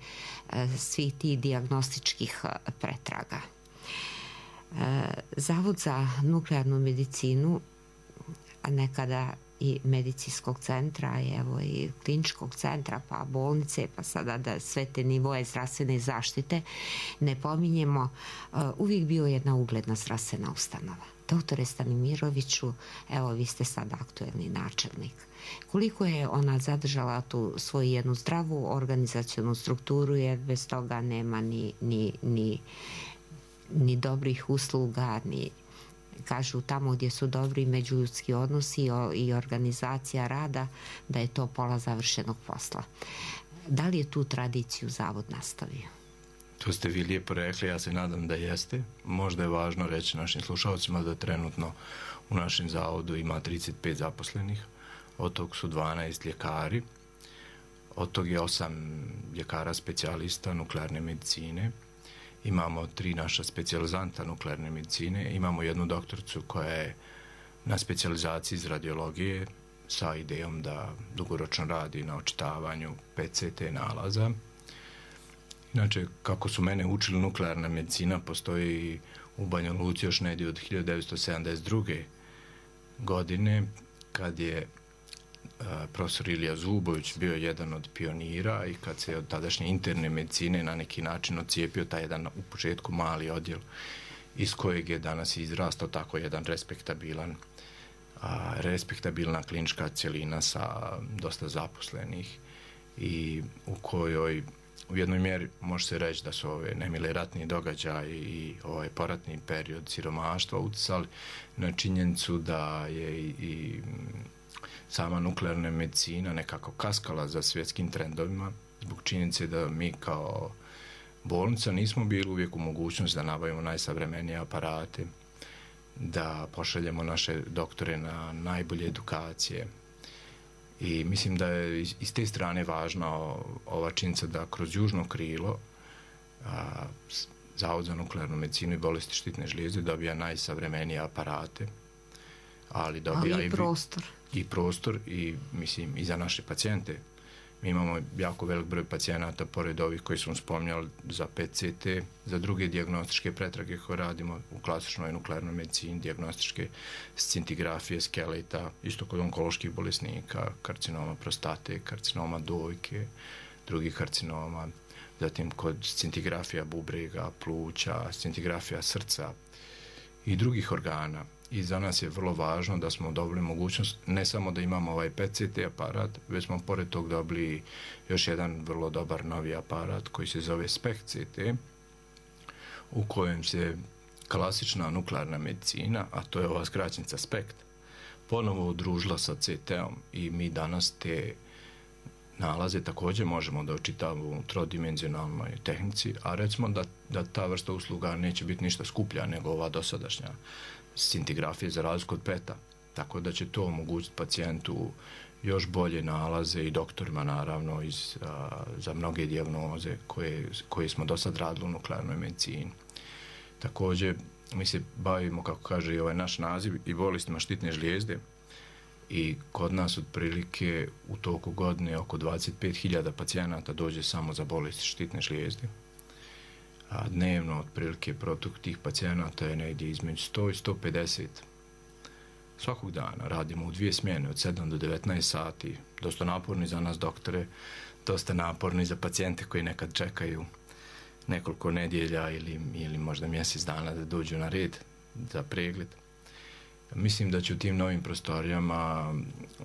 e, svih tih dijagnostičkih pretraga. E, Zavod za nuklearnu medicinu, a nekada i medicinskog centra, evo i kliničkog centra, pa bolnice, pa sada da sve te nivoje zdravstvene zaštite ne pominjemo, e, uvijek bio jedna ugledna zdravstvena ustanova. Doktore Stanimiroviću, evo vi ste sad aktuelni načelnik. Koliko je ona zadržala tu svoju jednu zdravu organizacionu strukturu, jer bez toga nema ni, ni, ni, ni dobrih usluga, ni, kažu tamo gdje su dobri međuljudski odnosi i organizacija rada, da je to pola završenog posla. Da li je tu tradiciju Zavod nastavio? To ste vi lijepo rekli, ja se nadam da jeste. Možda je važno reći našim slušalcima da trenutno u našem zavodu ima trideset pet zaposlenih, od tog su dvanaest ljekari, od tog je osam ljekara specijalista nuklearne medicine, imamo tri naša specijalizanta nuklearne medicine, imamo jednu doktoricu koja je na specijalizaciji iz radiologije sa idejom da dugoročno radi na očitavanju P E T C T nalaza. Inače, kako su mene učili, nuklearna medicina postoji u Banja Luci još negdje od hiljadu devetsto sedamdeset druge godine, kad je uh, profesor Ilija Zubović bio jedan od pionira i kad se od tadašnje interne medicine na neki način odcijepio taj jedan u početku mali odjel iz kojeg je danas izrastao tako jedan respektabilan, uh, respektabilna klinička cjelina sa dosta zaposlenih i u kojoj u jednoj mjeri može se reći da su ove nemile ratni događaji i ovaj poratni period siromaštva utjecali na činjenicu da je i, i sama nuklearna medicina nekako kaskala za svjetskim trendovima zbog činjenice da mi kao bolnica nismo bili uvijek u mogućnosti da nabavimo najsavremenije aparate, da pošaljemo naše doktore na najbolje edukacije I mislim da je iz, iz te strane važna ova činjenica da kroz južno krilo a, Zavod za nuklearnu medicinu i bolesti štitne žlijezde dobija najsavremenije aparate, ali dobija ali i prostor. I, i prostor i mislim i za naše pacijente. Mi imamo jako velik broj pacijenata, pored ovih koji smo spominjali za P E T C T, za druge dijagnostičke pretrage koje radimo u klasičnoj nuklearnoj medicini, dijagnostičke scintigrafije skeleta, isto kod onkoloških bolesnika, karcinoma prostate, karcinoma dojke, drugih karcinoma, zatim kod scintigrafija bubrega, pluća, scintigrafija srca i drugih organa. I za nas je vrlo važno da smo dobili mogućnost ne samo da imamo ovaj P E T C T aparat, već smo pored tog dobili još jedan vrlo dobar novi aparat koji se zove SPECT-C T, u kojem se klasična nuklearna medicina, a to je ova skraćenica SPECT, ponovo udružila sa C T-om i mi danas te nalaze također možemo da očitamo u trodimenzionalnoj tehnici, a recimo da, da ta vrsta usluga neće biti ništa skuplja nego ova dosadašnja scintigrafije za razliku od P E T-a, tako da će to omogućiti pacijentu još bolje nalaze i doktorima naravno iz, a, za mnoge dijagnoze koje, koje smo do sad radili u nuklearnoj medicini. Također mi se bavimo, kako kaže i ovaj naš naziv, i bolestima štitne žlijezde i kod nas otprilike u toku godine oko dvadeset pet hiljada pacijenata dođe samo za bolesti štitne žlijezde. A dnevno otprilike protok tih pacijenata je negdje između sto i sto pedeset. Svakog dana radimo u dvije smjene od sedam do devetnaest sati, dosta naporni za nas doktore, dosta naporni za pacijente koji nekad čekaju nekoliko nedjelja ili, ili možda mjesec dana da dođu na red za pregled. Mislim da će u tim novim prostorijama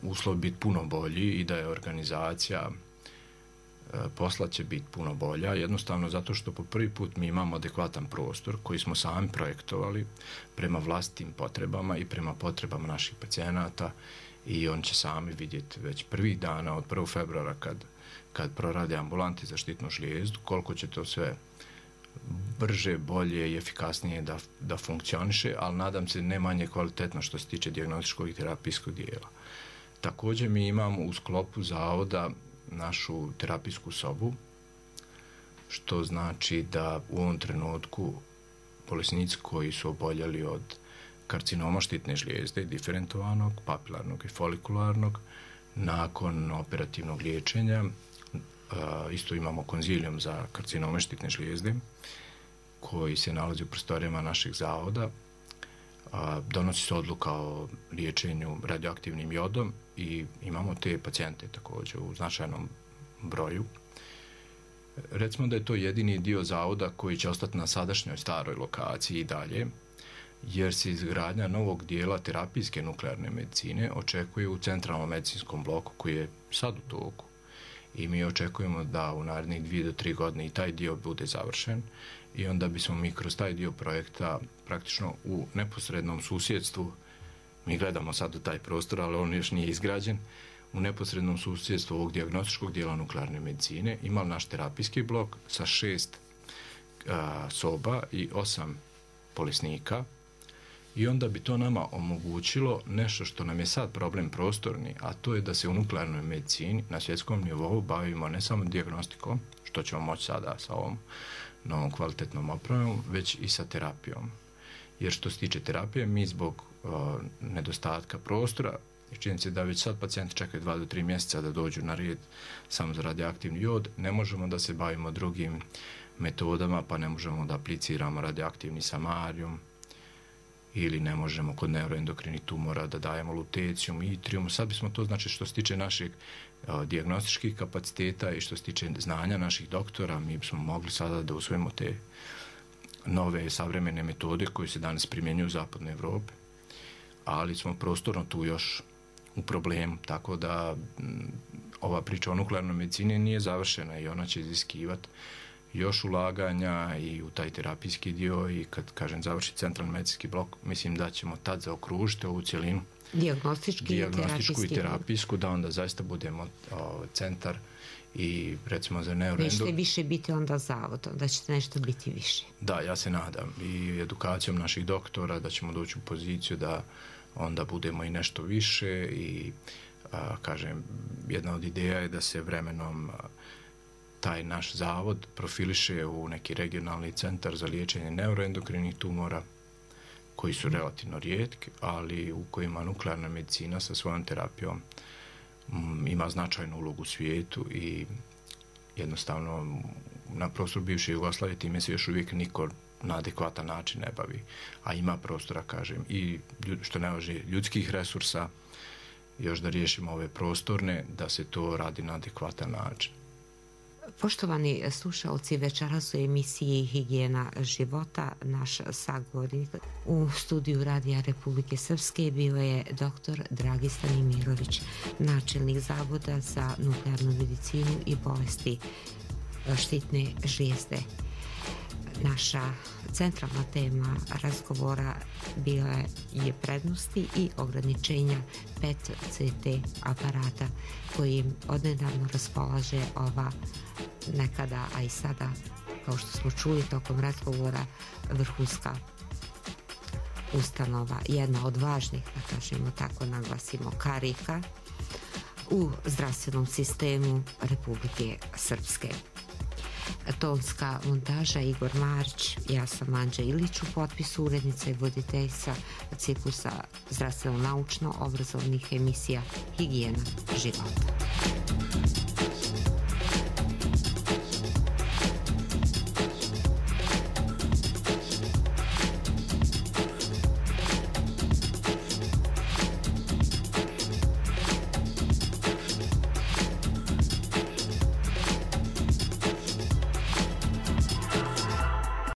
uslov biti puno bolji i da je organizacija posla će biti puno bolja, jednostavno zato što po prvi put mi imamo adekvatan prostor koji smo sami projektovali prema vlastitim potrebama i prema potrebama naših pacijenata i on će sami vidjeti već prvih dana od prvog februara kad, kad prorade ambulanti za štitnu žlijezdu koliko će to sve brže, bolje i efikasnije da, da funkcioniše, ali nadam se ne manje kvalitetno što se tiče dijagnostičkog i terapijskog dijela. Također mi imamo u sklopu zavoda našu terapijsku sobu, što znači da u ovom trenutku bolesnici koji su oboljeli od karcinoma štitne žlijezde, diferentovanog, papilarnog i folikularnog, nakon operativnog liječenja, isto imamo konzilijum za karcinome štitne žlijezde, koji se nalazi u prostorijama našeg zavoda, donosi se odluka o liječenju radioaktivnim jodom i imamo te pacijente također u značajnom broju. Recimo da je to jedini dio zavoda koji će ostati na sadašnjoj staroj lokaciji i dalje, jer se izgradnja novog dijela terapijske nuklearne medicine očekuje u centralnom medicinskom bloku koji je sad u toku. I mi očekujemo da u narednih dvije do tri godine i taj dio bude završen i onda bismo mi kroz taj dio projekta praktično u neposrednom susjedstvu, mi gledamo sad u taj prostor, ali on još nije izgrađen, u neposrednom susjedstvu ovog dijagnostičkog dijela nuklearne medicine imali naš terapijski blok sa šest a, soba i osam bolesnika i onda bi to nama omogućilo nešto što nam je sad problem prostorni, a to je da se u nuklearnoj medicini na svjetskom nivou bavimo ne samo dijagnostikom, što ćemo moći sada sa ovom novom kvalitetnom opremom, već i sa terapijom. Jer što se tiče terapije, mi zbog uh, nedostatka prostora, i činjenica da već sad pacijenti čekaju dva do tri mjeseca da dođu na red samo za radioaktivni jod, ne možemo da se bavimo drugim metodama, pa ne možemo da apliciramo radioaktivni samarijum, ili ne možemo kod neuroendokrinih tumora da dajemo lutecijum i itrium. Sad bismo to, znači što se tiče naših uh, dijagnostičkih kapaciteta i što se tiče znanja naših doktora, mi bismo mogli sada da usvojimo te nove savremene metode koje se danas primjenjuju u zapadnoj Evropi, ali smo prostorno tu još u problemu, tako da m, ova priča o nuklearnoj medicini nije završena i ona će iziskivati još ulaganja i u taj terapijski dio i kad, kažem, završi centralni medicinski blok, mislim da ćemo tad zaokružiti ovu cjelinu dijagnostički dijagnostičku i terapijsku, da onda zaista budemo o, centar i recimo za neuroendo... Nećete više biti onda zavod, da ćete nešto biti više. Da, ja se nadam i edukacijom naših doktora da ćemo doći u poziciju da onda budemo i nešto više i a, kažem, jedna od ideja je da se vremenom a, taj naš zavod profiliše u neki regionalni centar za liječenje neuroendokrinih tumora, koji su relativno rijetki, ali u kojima nuklearna medicina sa svojom terapijom m, ima značajnu ulogu u svijetu i jednostavno na prostoru bivše Jugoslavije time se još uvijek niko na adekvatan način ne bavi, a ima prostora, kažem, i što ne važi ljudskih resursa, još da riješimo ove prostorne, da se to radi na adekvatan način. Poštovani slušalci, večeras u emisiji Higijena života naš sagovornik u studiju Radija Republike Srpske bio je doktor Dragistan Imirović, načelnik Zavoda za nuklearnu medicinu i bolesti štitne žlijezde. Naša centralna tema razgovora bila je prednosti i ograničenja P E T C T aparata kojim odnedavno raspolaže ova nekada, a i sada, kao što smo čuli tokom razgovora, vrhunska ustanova, jedna od važnih, da kažemo tako, naglasimo, karika u zdravstvenom sistemu Republike Srpske. Tonska montaža Igor Marić, ja sam Anđa Ilić, u potpisu urednica i voditeljica ciklusa zdravstveno-naučno obrazovnih emisija Higijena života.